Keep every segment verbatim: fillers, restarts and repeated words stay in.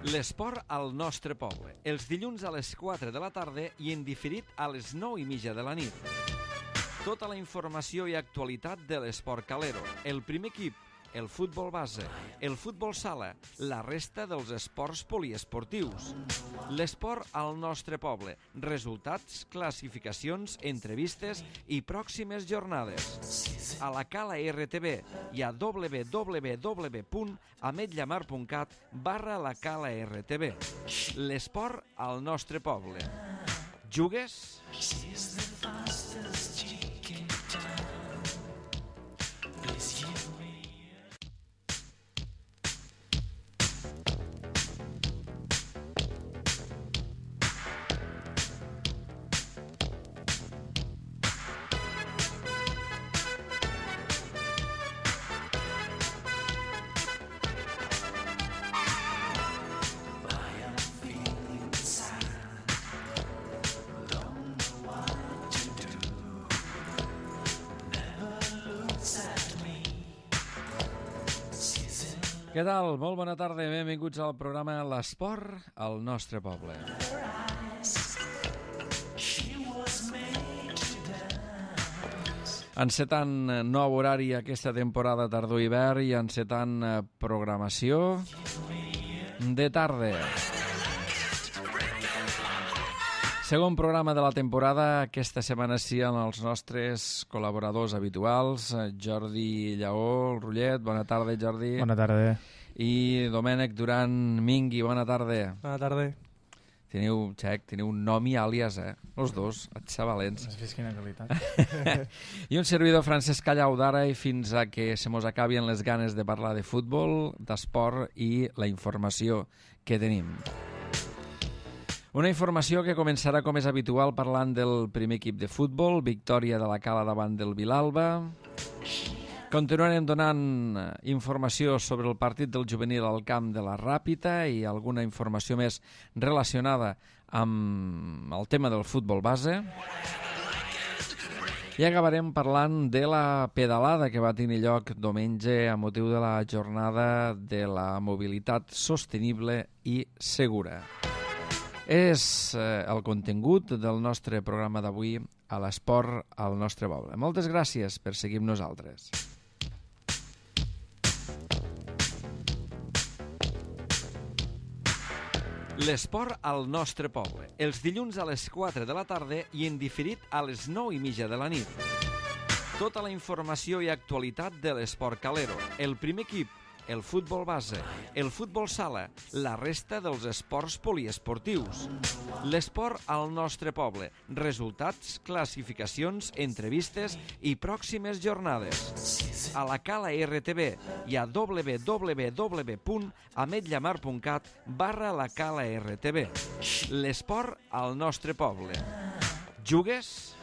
L'esport al nostre poble, els dilluns a les quatre de la tarda i en diferit a les nou i mitja de la nit. Tota la informació i actualitat de l'esport calero, el primer equip, el futbol base, el futbol sala, la resta dels esports poliesportius. L'esport al nostre poble, resultats, classificacions, entrevistes i pròximes jornades. A la Cala R T V i a w w w punt ametlla mar punt cat barra la Cala R T V. L'esport al nostre poble. Jugues? Què tal? Molt bona tarda, benvinguts al programa L'Esport al nostre poble. Encetant nou horari aquesta temporada tardor-hivern i encetant programació de tarda. Segon programa de la temporada, aquesta setmana sí amb els nostres col·laboradors habituals, Jordi Lleó, el Rullet, bona tarda Jordi. Bona tarda. I Domènec Duran Mingui, bona tarda. Bona tarda. Teniu, xec, teniu un nom i àlies, eh? Els dos, xavalents. Has vist quina qualitat. I un servidor Francesc Callau d'ara i fins a que se mos acabien les ganes de parlar de futbol, d'esport i la informació que tenim. Una informació que començarà com és habitual parlant del primer equip de futbol, victòria de la Cala davant del Vilalba. Continuarem donant informació sobre el partit del juvenil al camp de la Ràpita i alguna informació més relacionada amb el tema del futbol base. I acabarem parlant de la pedalada que va tenir lloc diumenge a motiu de la jornada de la mobilitat sostenible i segura. És eh, el contingut del nostre programa d'avui a l'esport al nostre poble. Moltes gràcies per seguir amb nosaltres. L'esport al nostre poble, els dilluns a les quatre de la tarda i en diferit a les nou i mitja de la nit. Tota la informació i actualitat de l'esport calero, el primer equip, el futbol base, el futbol sala, la resta dels esports poliesportius. L'esport al nostre poble, resultats, classificacions, entrevistes i pròximes jornades. A la Cala R T V i a w w w punt ametlla mar punt cat barra la Cala R T V. L'esport al nostre poble. Jugues?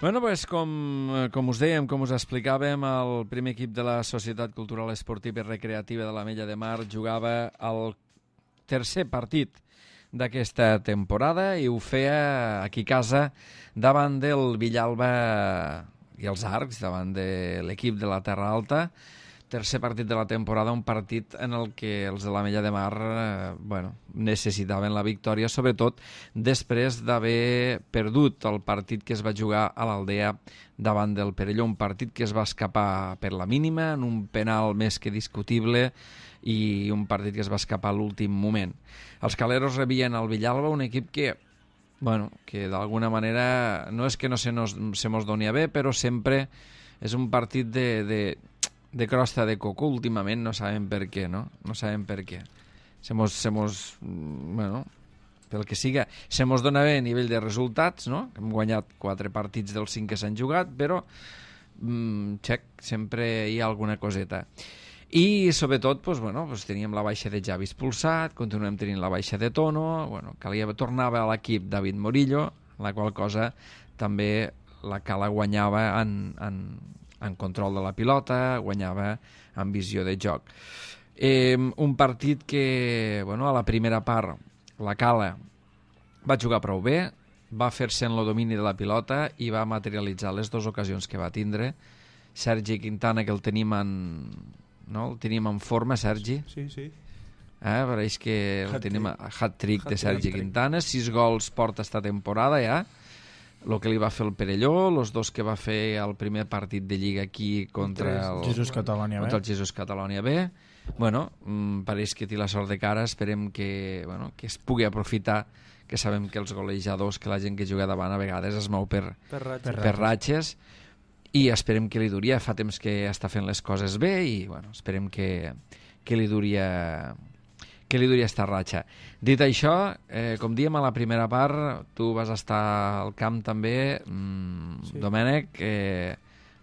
Bueno, pues, com, com us dèiem, com us explicàvem, el primer equip de la Societat Cultural Esportiva i Recreativa de l'Ametlla de Mar jugava el tercer partit d'aquesta temporada i ho feia aquí a casa davant del Villalba i els Arcs, davant de l'equip de la Terra Alta. Tercer partit de la temporada, un partit en el que els de l'Ametlla de Mar eh, bueno, necessitaven la victòria, sobretot després d'haver perdut el partit que es va jugar a l'Aldea davant del Perelló, un partit que es va escapar per la mínima, en un penal més que discutible, i un partit que es va escapar a l'últim moment. Els caleros rebien el Villalba, un equip que, bueno, que d'alguna manera no és que no se, nos, se mos doni a bé, però sempre és un partit de... de de crosta de coco últimament, no sabem per què, no? No sabem per què. Se mos, se mos, bueno, pel que siga, se mos dona bé a nivell de resultats, no? Hem guanyat quatre partits dels cinc que s'han jugat, però, mm, xec, sempre hi ha alguna coseta. I, sobretot, pues, bueno, pues, teníem la baixa de Javi expulsat, continuem tenint la baixa de Tono, bueno, calia, tornava a l'equip David Morillo, la qual cosa també la Cala guanyava en, en, en control de la pilota, guanyava en visió de joc. Eh, un partit que, bueno, a la primera part, la Cala va jugar prou bé, va fer-se en el domini de la pilota i va materialitzar les dues ocasions que va tindre. Sergi Quintana, que el tenim en, no? el tenim en forma, Sergi. Sí, sí. Eh, pareix que el tenim a hat-trick de Sergi Quintana, sis gols porta esta temporada ja, el que li va fer el Perelló, els dos que va fer el primer partit de Lliga aquí contra el Jesús Catalònia B. Contra el Jesús Catalònia B. Bueno, mmm, pareix que té la sort de cara, esperem que, bueno, que es pugui aprofitar, que sabem que els golejadors, que la gent que juga davant a vegades es mou per, per ratxes, per, per ratxes i esperem que li duri, fa temps que està fent les coses bé i bueno, esperem que, que li duri que li duri esta ratxa. Dit això, eh, com diem a la primera part, tu vas estar al camp també, mmm, sí. Domènec, eh,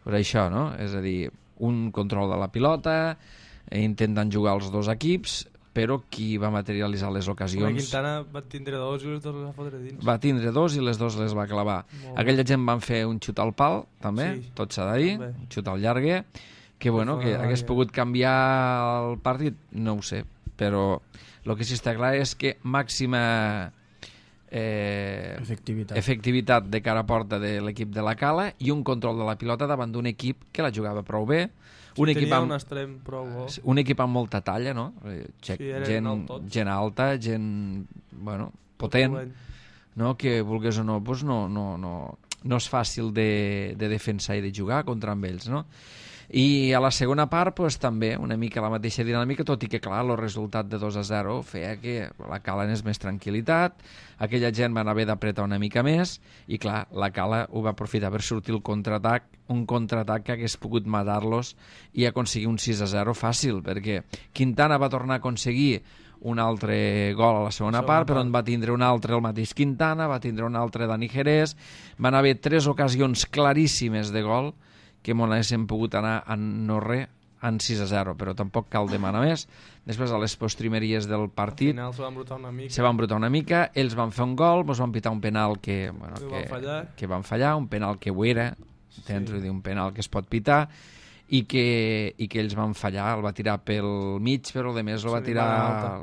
per això, no? És a dir, un control de la pilota, eh, intenten jugar els dos equips, però qui va materialitzar les ocasions... La Quintana va tindre dos i les dos les va fotre dins. Va tindre dos i les dos les va clavar. Molt Aquella gent van fer un xut al pal, també, sí, tot s'ha de dir, també. Un xut al llarguer, que bueno, que hagués pogut canviar el partit, no ho sé, però el que sí està clar és que màxima eh, efectivitat. efectivitat de cara a porta de l'equip de la Cala i un control de la pilota davant d'un equip que la jugava prou bé, sí, un equip amb, un extrem prou bo. Un equip amb molta talla, no? Gent, sí, gent, gent alta, gent bueno, potent, no? Que vulgués o no, pues no, no, no, no és fàcil de, de defensar i de jugar contra amb ells, no? I a la segona part pues, també una mica la mateixa dinàmica, tot i que clar, el resultat de dos a zero feia que la Cala anés més tranquil·litat, aquella gent van haver d'apretar una mica més i clar, la Cala ho va aprofitar per sortir el contraatac, un contraatac que hagués pogut matar-los i aconseguir un sis a zero fàcil, perquè Quintana va tornar a aconseguir un altre gol a la segona part, però en va tindre un altre el mateix Quintana, va tindre un altre Dani Jerez, van haver tres ocasions claríssimes de gol que m'ho haguéssim pogut anar en no res, en sis a zero, però tampoc cal demanar més. Després, a les postrimeries del partit, al final se van brutar una mica, se van brutar una mica, ells van fer un gol, ens van pitar un penal que, bueno, que, van fallar. que van fallar, un penal que ho era, sí. Tens dir, un penal que es pot pitar, i que, i que ells van fallar, el va tirar pel mig, però a més el va tirar,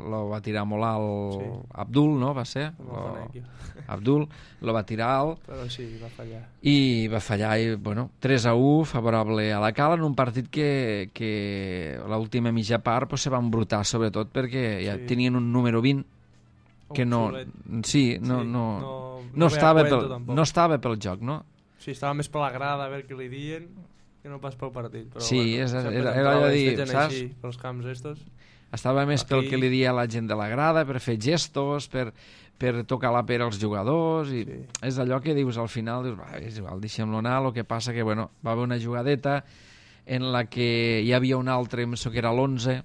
lo va tirar molt alt, sí. Abdul, no? Va ser? Lo, Abdul, el va tirar alt, però sí, va fallar. I va fallar, i bueno, tres a u, favorable a la Cala, en un partit que, que l'última mitja part pues, se van brutar, sobretot perquè ja sí. tenien un número vint que no, sí, no, sí, no, no, no, no, estava pel, no estava pel joc, no? Sí, estava més per la grada a veure què li diuen, que no pas pel partit, però sí, bueno, és, era, era allò de dir, saps? Així, pels camps estos. Estava més aquí... pel que li dia a la gent de la grada, per fer gestos, per, per tocar la pera als jugadors, i sí. És allò que dius al final, dius, va, és igual, deixem-lo anar, el que passa que, bueno, va haver una jugadeta en la que hi havia un altre, em penso que era l'onze,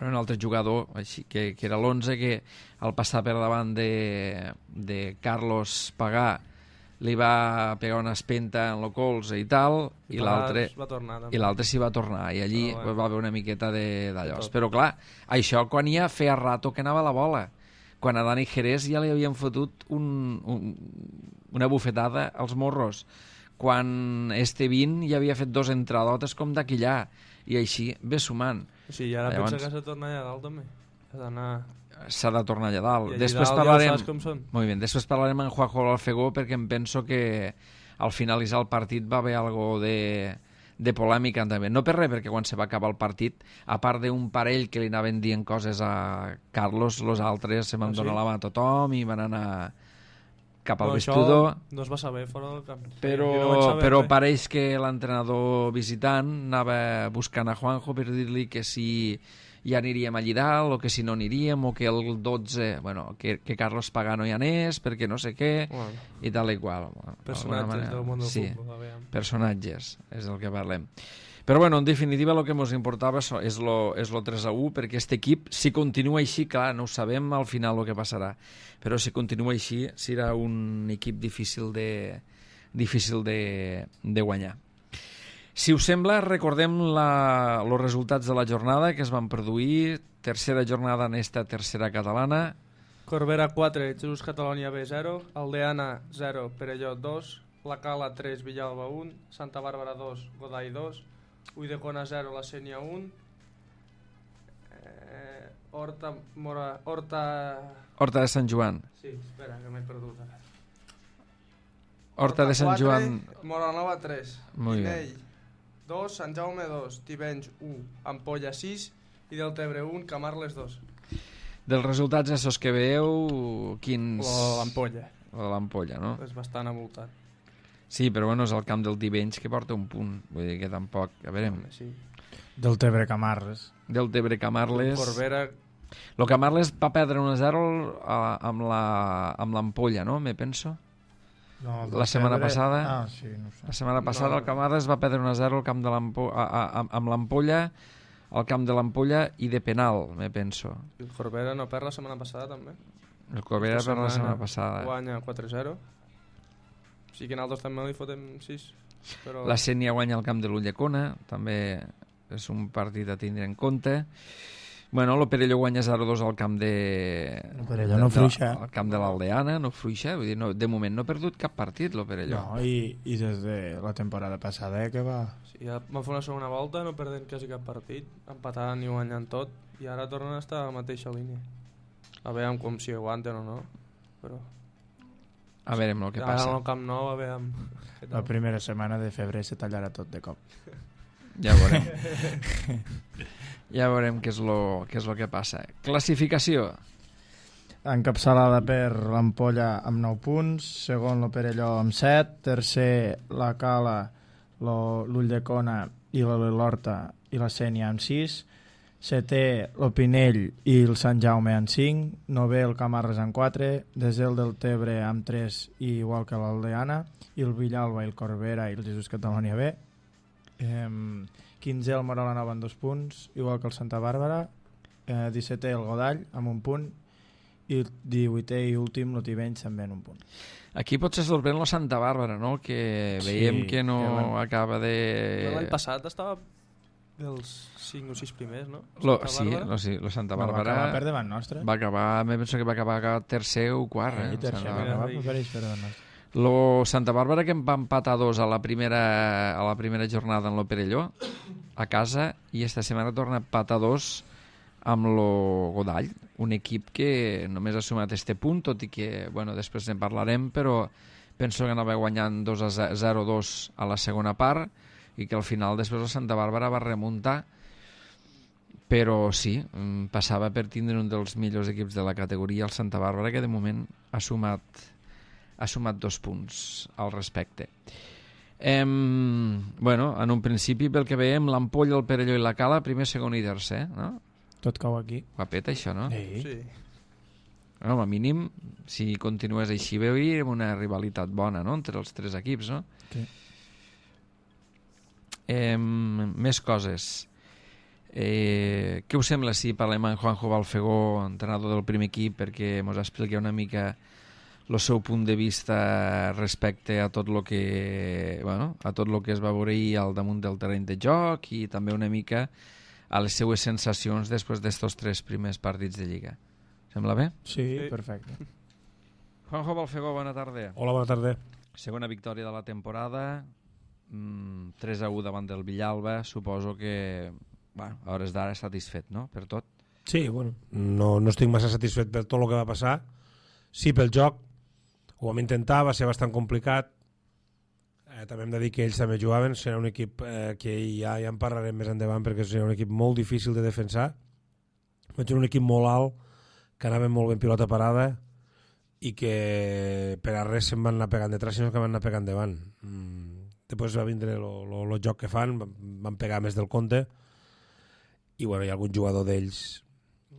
un altre jugador, així, que, que era l'onze, que al passar per davant de, de Carlos Pagà li va pegar una espenta en el colze i tal, i, i l'altre i l'altre s'hi va tornar, i allí oh, bueno. va haver una miqueta d'allòs. Però clar, això quan ja feia rato que anava la bola, quan a Dani Jerez ja li havien fotut un, un, una bufetada als morros, quan este vint ja havia fet dos entradotes com d'aquillà, i així ve sumant. Sí, i ara Llavors... pensa que s'ha tornat allà dalt també, ha d'anar... s'ha de tornar allà dalt. I després dalt parlarem... ja saps com són. Molt bé, després parlarem amb Juanjo Alfegó perquè em penso que al finalitzar el partit va haver algo de, de polèmica també. No per res, perquè quan se va acabar el partit, a part d'un parell que li anaven dient coses a Carlos, los altres se van ah, donar sí? la mà a tothom i van anar cap al no, vestidor. No es va saber fora del camp. Però, no saber, però pareix que l'entrenador visitant anava buscant a Juanjo per dir-li que si ja aniríem allí dalt, o que si no aniríem, o que el dotze, bueno, que, que Carlos Pagà no hi anés, perquè no sé què, bueno, i tal i qual. Bueno, personatges del món del sí, futbol. Personatges, és el que parlem. Però bueno, en definitiva el que ens importava és lo, és lo tres a u, perquè aquest equip, si continua així, clar, no ho sabem al final el que passarà, però si continua així serà un equip difícil de, difícil de, de guanyar. Si us sembla, recordem els resultats de la jornada que es van produir. Tercera jornada en esta tercera catalana. Corbera quatre, Jesús Catalònia B zero, Aldeana zero, Perelló dos, La Cala tres, Villalba un, Santa Bàrbara dos, Godall dos, Ulldecona zero, La Sénia un, eh, Horta, Mora, Horta... Horta de Sant Joan. Sí, espera, que m'he perdut ara. Horta de Sant Joan... Moranova tres, Muy Pinell dos, Sant Jaume dos, Tivenys u, Ampolla sis i Deltebre un, Camarles dos. Dels resultats estos que veieu, quins... L'Ampolla. L'Ampolla, no? És bastant avoltat. Sí, però bueno, és el camp del Tivenys que porta un punt. Vull dir que tampoc... A veure... Sí. Del Tebre Camarles. Del Tebre Camarles... Corbera... Lo Camarles va perdre un a zero amb l'Ampolla, no? Me penso. No, la setmana Tebre... passada... Ah, sí, no sé. La setmana passada no. El Camarles va perdre un a zero al camp de l'Ampolla, amb l'Ampolla, al camp de l'Ampolla i de penal, me penso. El Corbera no perd la setmana passada, també. El Corbera perd la setmana passada. Guanya quatre a zero. Sí que nosaltres també li fotem sis. Però... La Sénia guanya al camp de l'Ulldecona, també és un partit a tindre en compte. Bueno, l'Operelló guanya zero a dos al camp de... L'Operelló no fluixa. Al camp de l'Aldeana, no fluixa. Vull dir, no, de moment no ha perdut cap partit, l'Operelló. No, i, i des de la temporada passada, eh, que va... Sí, ja van fer una segona volta, no perdent quasi cap partit, empatant i guanyant tot, i ara tornen a estar a la mateixa línia. A veure com si aguanten o no, però... A veure el que ara passa. Ara al Camp Nou, a veure... La primera setmana de febrer se tallarà tot de cop. Ja veurem. Ja veurem què és lo, què és lo que passa. Classificació. Encapçalada per l'Ampolla amb nou punts, segon l'Operelló amb set, tercer la Cala, l'Ulldecona i l'Horta i la Sénia amb sis, setè l'Opinell i el Sant Jaume amb cinc, novè el Camarles amb quatre, desè el del Tebre amb tres, igual que l'Aldeana, i el Villalba i el Corbera i el Jesús Catalònia B, eh, quinzè el Mora la Nova amb dos punts, igual que el Santa Bàrbara, eh, dissetè el Godall amb un punt, i divuitè i últim el Tivenys també en un punt. Aquí potser sorprèn la Santa Bàrbara, no? Que veiem sí, que no que van... acaba de... L'any passat estava dels cinc o sis primers, no? Lo, sí, lo, sí, lo Santa Bàrbara... No, va acabar per davant nostre. Va acabar, me penso que va acabar tercer o quart. Eh, eh? tercer, va acabar per davant nostre. Lo Santa Bàrbara que em va empatar dos a la primera, a la primera jornada en l'Operelló, a casa, i esta setmana torna a empatar dos amb lo Godall, un equip que només ha sumat este punt, tot i que, bueno, després en parlarem, però penso que anava guanyant dos a zero dos a la segona part i que al final després la Santa Bàrbara va remuntar, però sí, passava per tindre un dels millors equips de la categoria, el Santa Bàrbara, que de moment ha sumat, ha sumat dos punts al respecte. Em, bueno, en un principi, pel que veiem, l'Ampolla, el Perelló i la Cala, primer, segon i tercer, no? Tot cau aquí. Guapet, això, no? Sí. Sí. Bueno, com a mínim, si continués així, veuríem una rivalitat bona, no?, entre els tres equips, no? Sí. Eh, més coses. Eh, què us sembla si parlem amb Juanjo Balfegó, entrenador del primer equip, perquè ens expliqui una mica el seu punt de vista respecte a tot lo que, bueno, a tot lo que es va veure ahir al damunt del terreny de joc i també una mica a les seues sensacions després d'estos tres primers partits de Lliga. Sembla bé? Sí, Sí. perfecte. Juanjo Balfegó, bona tarda. Hola, bona tarda. Segona victòria de la temporada, mm, tres a u davant del Villalba, suposo que, bueno, a hores d'ara satisfet, no?, per tot. Sí, bueno, no, no estic massa satisfet per tot el que va passar. Sí, pel joc, ho vam intentar, va ser bastant complicat. Eh, també hem de dir que ells també jugaven, serà un equip eh, que ja, ja en parlarem més endavant perquè serà un equip molt difícil de defensar. Vaig un equip molt alt, que anava molt ben pilota parada i que per a res se'n van anar pegant detrás, sinó que van anar pegant davant. Mm. Després va vindre el joc que fan, van pegar més del compte i bueno, hi ha algun jugador d'ells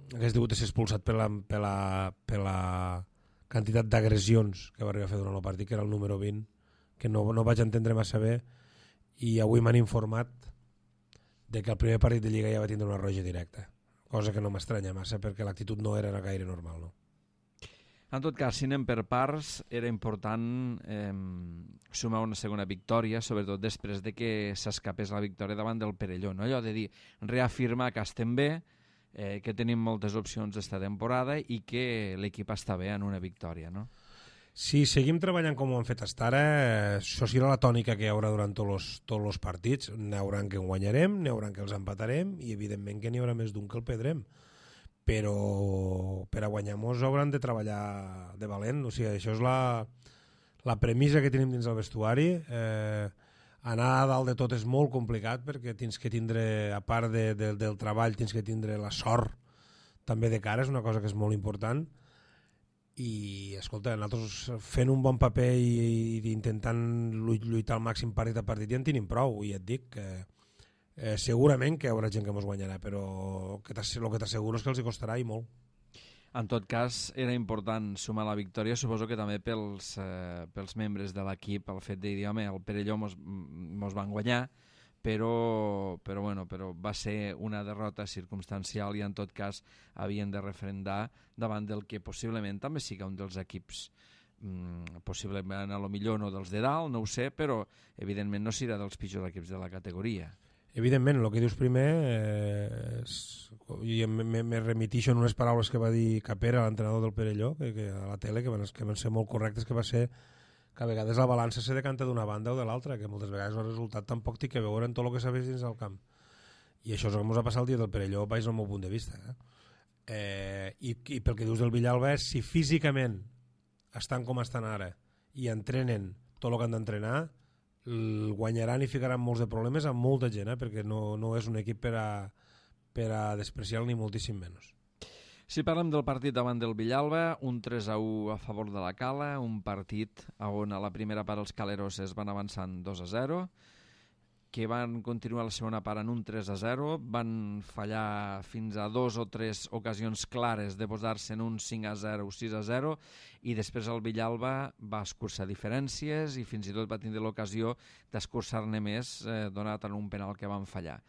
que hagués degut ser expulsat per la, per la, per la quantitat d'agressions que va arribar a fer durant el partit, que era el número vint, que no, no vaig entendre massa bé, i avui m'han informat de que el primer partit de Lliga ja va tindre una roja directa, cosa que no m'estranya massa perquè l'actitud no era gaire normal, no? En tot cas, si anem per parts, era important eh, sumar una segona victòria, sobretot després de que s'escapés la victòria davant del Perelló, no? Allò de dir, reafirmar que estem bé, eh, que tenim moltes opcions d'esta temporada i que l'equip està bé en una victòria, no? Si seguim treballant com ho hem fet fins ara, això serà la tònica que hi haurà durant tots els partits. N'hi haurà que en guanyarem, n'hi haurà que els empatarem i evidentment que n'hi haurà més d'un que el perdrem. Però per a guanyar-nos hauran de treballar de valent. O sigui, això és la, la premissa que tenim dins el vestuari. Eh, anar a dalt de tot és molt complicat perquè tens que tindre, a part de, de, del treball, tens que tindre la sort també de cara, és una cosa que és molt important. I, escolta, nosaltres fent un bon paper i, i intentant lluitar al màxim partit a partit ja en tenim prou, i et dic que eh, segurament que hi haurà gent que ens guanyarà, però el que t'asseguro és que els hi costarà i molt. En tot cas, era important sumar la victòria, suposo que també pels, eh, pels membres de l'equip, el fet de dir, home, el Perelló mos, mos van guanyar, però, però, bueno, però va ser una derrota circumstancial i en tot cas havien de refrendar davant del que possiblement també siga un dels equips, mm, possiblement a lo millor no dels de dalt, no ho sé, però evidentment no serà dels pitjors equips de la categoria. Evidentment, el que dius primer, eh, és, i me, me remitixo en unes paraules que va dir Capera, l'entrenador del Perelló, que, que a la tele, que van, que van ser molt correctes, que va ser que a vegades la balança se decanta d'una banda o de l'altra, que moltes vegades el resultat tampoc té que veure en tot el que s'ha vist dins del camp. I això és el que ens ha passat el dia del Perelló, baix al meu punt de vista. Eh? Eh, i, I pel que dius del Villalba és, si físicament estan com estan ara i entrenen tot el que han d'entrenar, el guanyaran i ficaran molts de problemes amb molta gent, eh? Perquè no, no és un equip per a, per a despreciar ni moltíssim menys. Si parlem del partit davant del Villalba, un tres a u a favor de la Cala, un partit on a la primera part els caleroses van avançant dos a zero, que van continuar la segona part en un tres a zero, van fallar fins a dos o tres ocasions clares de posar-se en un cinc a zero o sis a zero, i després el Villalba va escurçar diferències i fins i tot va tindre l'ocasió d'escurçar-ne més, eh, donat en un penal que van fallar.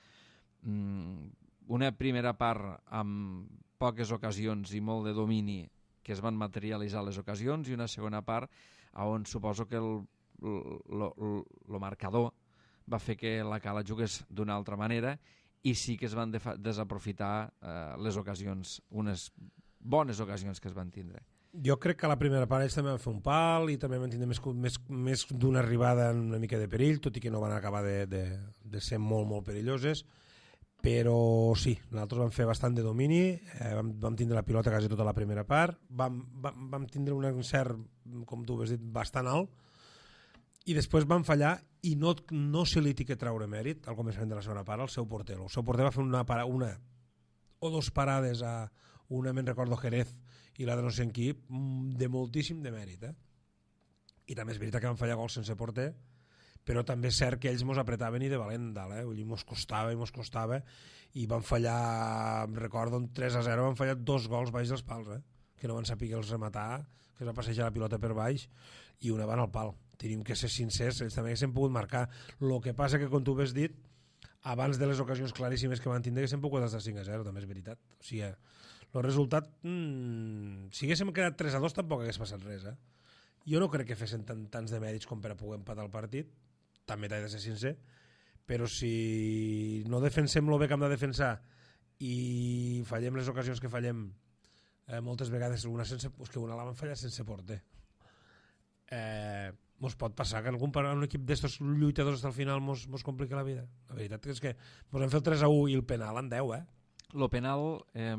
Mm, una primera part amb poques ocasions i molt de domini que es van materialitzar les ocasions, i una segona part on suposo que el, el, el, el marcador va fer que la Cala jugués d'una altra manera i sí que es van desaprofitar eh, les ocasions, unes bones ocasions que es van tindre. Jo crec que a la primera part ells també van fer un pal i també van tindre més, més, més d'una arribada en una mica de perill, tot i que no van acabar de, de, de ser molt, molt perilloses. Però sí, nosaltres vam fer bastant de domini, eh, vam, vam tindre la pilota quasi tota la primera part, vam, vam, vam tindre un encert, com tu has dit, bastant alt, i després van fallar i no, no se li té que treure mèrit al començament de la segona part al seu porter. El seu porter va fer una, para, una o dos parades, a una me'n recordo Jerez i la de no sé en qui, de moltíssim de mèrit. Eh? I també és veritat que van fallar gols sense porter, però també és cert que ells mos apretaven i de valent dalt, eh? Vull dir, mos costava i mos costava, i van fallar, recordo, un tres a zero, van fallar dos gols baix dels pals, eh? Que no van saber els rematar, que es va passejar la pilota per baix, i una van al pal. Tenim que ser sincers, ells també haguessin pogut marcar. El que passa que, com tu has dit, abans de les ocasions claríssimes que van tindre, haguessin pogut estar cinc a zero, també és veritat. O sigui, el resultat, mmm, si haguéssim quedat tres a dos tampoc hagués passat res, eh? Jo no crec que fessin tant, tants de mèrits com per a poder empatar el partit, també t'he de ser sincer, però si no defensem el bé que hem de defensar i fallem les ocasions que fallem, eh, moltes vegades una sense, pues que una la van fallar sense porter, eh, mos pot passar que algun un equip d'estos lluitadors fins al final mos, mos complica la vida. La veritat és que mos hem fet el tres a u i el penal en deu, eh? Lo penal... Eh...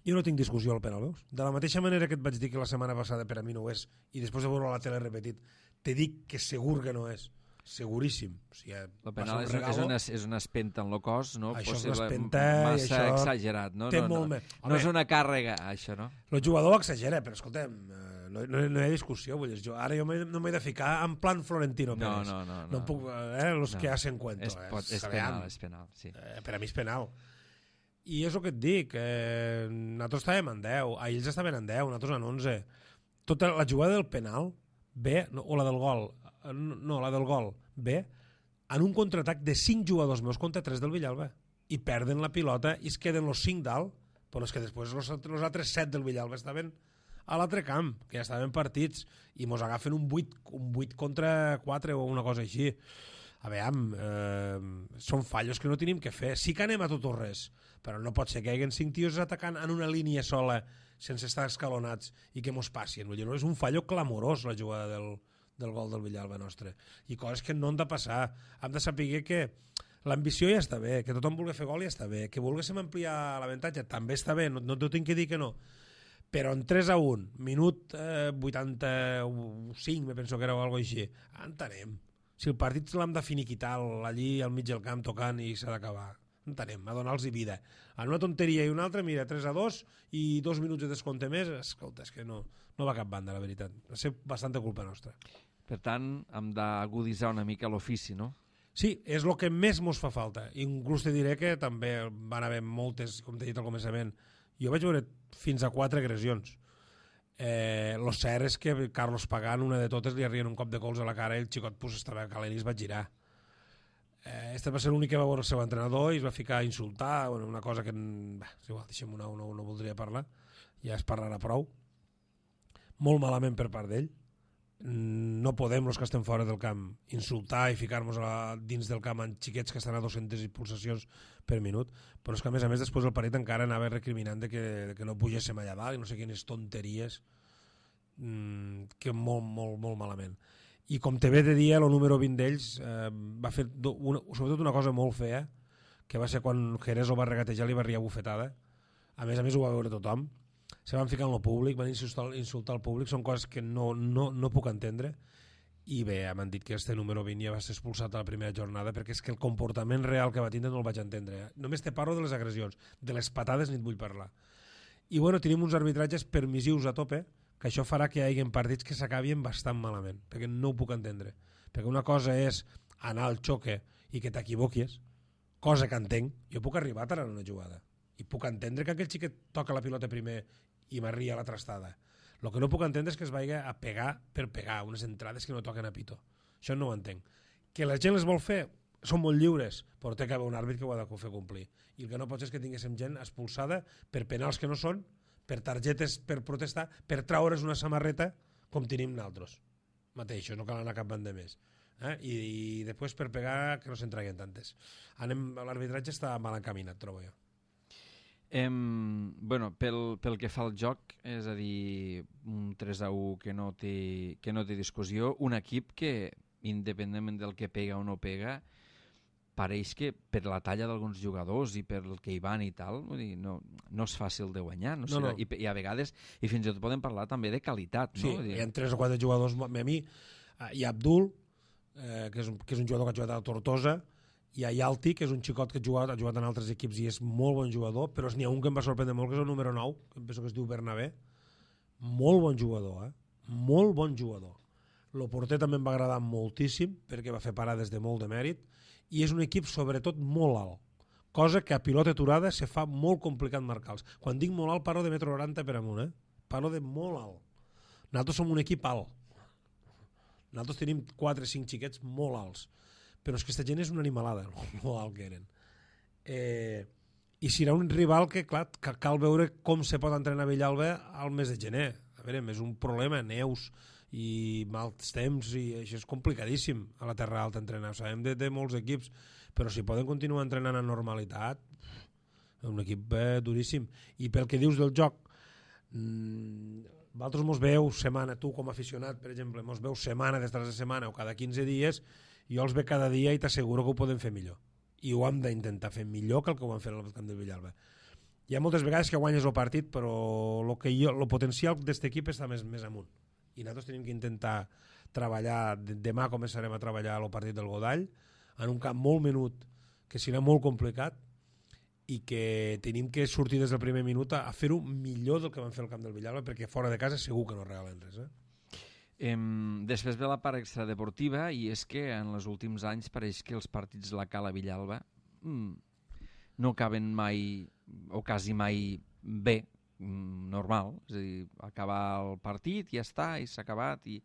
Jo no tinc discussió al penal, veus? De la mateixa manera que et vaig dir que la setmana passada per a mi no ho és, i després de veure la tele repetit, te dic que segur que no és. Seguríssim. O sigui, el penal és, és, una, és una espenta en el cos, no? Això Possible, és una espenta massa i això exagerat, no? Té no, molt no, més. no, no és una càrrega, això, no? El jugador exagera, però escolta'm, no, no, no hi ha discussió. Vull dir, jo, ara jo no m'he de ficar en plan Florentino no, Pérez. no, no, no. No puc, eh, los no. que hacen cuento. És, pot, és penal, és penal, sí. Eh, per a mi és penal. I és el que et dic, eh, nosaltres estàvem en deu, ells estaven en deu, nosaltres en onze. Tota la jugada del penal ve, no, o la del gol, no, la del gol ve en un contraatac de cinc jugadors meus contra tres del Villalba, i perden la pilota i es queden els cinc dalt, però és que després els altres set del Villalba estaven a l'altre camp, que ja estaven partits, i mos agafen un vuit, un vuit contra quatre o una cosa així. A veure, eh, són fallos que no tenim que fer. Sí que anem a tot o res, però no pot ser que hi hagin cinc tios atacant en una línia sola sense estar escalonats i que mos passin. Vull dir, no, és un fallo clamorós la jugada del, del gol del Villalba nostre. I coses que no han de passar. Hem de saber que l'ambició ja està bé, que tothom vulgui fer gol ja està bé, que volguéssim ampliar l'avantatge també està bé, no, no t'ho tinc que dir que no. Però en tres a un, minut eh, vuitanta-cinc, me penso que era o alguna cosa així, entenem. Si el partit l'hem de finiquitar allí al mig del camp tocant i s'ha d'acabar, entenem, a donar-los vida. En una tonteria i una altra, mira, tres a dos i dos minuts de descompte més, escolta, és que no, no va cap banda, la veritat. Va ser bastanta culpa nostra. Per tant, hem d'aguditzar una mica l'ofici, no? Sí, és el que més mos fa falta. Inclús te diré que també van haver moltes, com t'he dit al començament, jo vaig veure fins a quatre agressions. Eh, lo cert és que Carlos Pagán, una de totes, li arrien un cop de cols a la cara i el xicot pues, estava calent i es va girar. Eh, este va ser l'únic que va veure el seu entrenador i es va ficar a insultar, bueno, una cosa que... Bah, és igual, deixem-ho anar, no, no voldria parlar, ja es parlarà prou. Molt malament per part d'ell. No podem, els que estem fora del camp, insultar i ficar-nos dins del camp amb xiquets que estan a dues-centes pulsacions per minut, però és que a més a més després del partit encara anava recriminant de que, de que no pugéssim allà dalt i no sé quines tonteries, mmm, que molt, molt, molt malament. I com te ve de dir, el número vint d'ells eh, va fer una, sobretot una cosa molt fea, que va ser quan Jerez ho va regatejar i li va riar bufetada. A més a més ho va veure tothom. Se van ficar en el públic, van insultar, insultar el públic, són coses que no, no, no puc entendre. I bé, m'han dit que este número vint ja va ser expulsat a la primera jornada perquè és que el comportament real que va tindre no el vaig entendre. Eh? Només te parlo de les agressions, de les patades ni et vull parlar. I bueno, tenim uns arbitratges permissius a tope, que això farà que hi hagi partits que s'acabin bastant malament, perquè no ho puc entendre. Perquè una cosa és anar al xoque i que t'equivoquis, cosa que entenc, jo puc arribar a en una jugada i puc entendre que aquell xiquet toca la pilota primer i m'arria la trastada. El que no puc entendre és que es vagi a pegar per pegar unes entrades que no toquen a pito. Això no ho entenc. Que la gent les vol fer, són molt lliures, però té que haver un àrbit que ho ha de fer complir. I el que no pot ser és que tinguéssim gent expulsada per penals que no són, per targetes per protestar, per traure's una samarreta com tenim nosaltres. Mateixos, no cal anar cap banda més. Eh? I, I després per pegar que no se'n traguin tantes. Anem, l'arbitratge està mal encaminat, trobo jo. Em, bueno, pel, pel que fa al joc, és a dir, un tres a u que no té, que no té discussió, un equip que, independentment del que pega o no pega, pareix que per la talla d'alguns jugadors i per el que hi van i tal, vull dir, no, no és fàcil de guanyar, no sé, no, no. I, i a vegades, i fins i tot podem parlar també de qualitat, no? Sí, Vull dir... hi ha tres o quatre jugadors, a mi, hi ha Abdul, eh, que, és un, que és un jugador que ha jugat a Tortosa, hi ha Yalti, que és un xicot que ha jugat, ha jugat en altres equips i és molt bon jugador, però n'hi ha un que em va sorprendre molt, que és el número nou, que penso que es diu Bernabé. Molt bon jugador, eh? Molt bon jugador. El porter també em va agradar moltíssim, perquè va fer parades de molt de mèrit, i és un equip sobretot molt alt, cosa que a pilota aturada se fa molt complicat marcar-los. Quan dic molt alt parlo de metro noranta per amunt, eh? Parlo de molt alt. Nosaltres som un equip alt. Nosaltres tenim quatre o cinc xiquets molt alts, però és que aquesta gent és una animalada, molt alt que eren. Eh, I serà un rival que, clar, cal veure com se pot entrenar a Villalba al mes de gener. A veure, és un problema, neus i mals temps, i això és complicadíssim a la Terra Alta entrenar. Ho sabem de, de molts equips, però si poden continuar entrenant en normalitat, és un equip eh, duríssim. I pel que dius del joc, mmm, vosaltres mos veu setmana, tu com a aficionat, per exemple, mos veu setmana després de setmana o cada quinze dies, jo els veig cada dia i t'asseguro que ho podem fer millor. I ho hem d'intentar fer millor que el que ho vam fer al camp del Villalba. Hi ha moltes vegades que guanyes el partit, però el que jo, el potencial d'aquest equip està més, més amunt. I nosaltres tenim que intentar treballar, demà començarem a treballar el partit del Godall, en un camp molt menut, que serà molt complicat, i que tenim que sortir des del primer minut a, a fer-ho millor del que vam fer al camp del Villalba, perquè fora de casa segur que no regalen res, eh? Em, després ve la part extradeportiva i és que en els últims anys pareix que els partits la Cala Villalba mm, no acaben mai o quasi mai bé, mm, normal, és a dir, acabar el partit i ja està, i s'ha acabat i